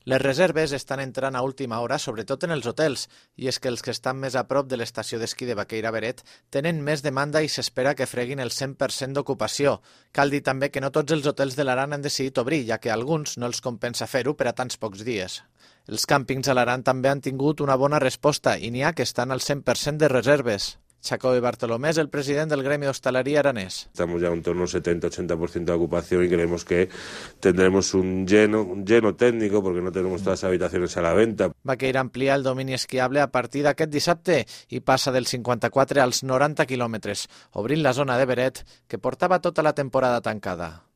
Les reserves estan entrant a última hora, sobretot en els hotels, i és que els que estan més a prop de l'estació d'esquí de Baqueira-Beret tenen més demanda i s'espera que freguin el 100% d'ocupació. Cal dir també que no tots els hotels de l'Aran han decidit obrir, ja que a alguns no els compensa fer-ho per a tants pocs dies. Els càmpings a l'Aran també han tingut una bona resposta i n'hi ha que estan al 100% de reserves. Chacó Bartolomé es el presidente del gremio de hostelería aranés. Estamos ya en torno al 70-80% de ocupación y creemos que tendremos un lleno técnico porque no tenemos todas las habitaciones a la venta. Baqueira amplia el domini esquiable a partir d'aquest dissabte i passa dels 54 als 90 quilòmetres, obrint la zona de Beret que portava tota la temporada tancada.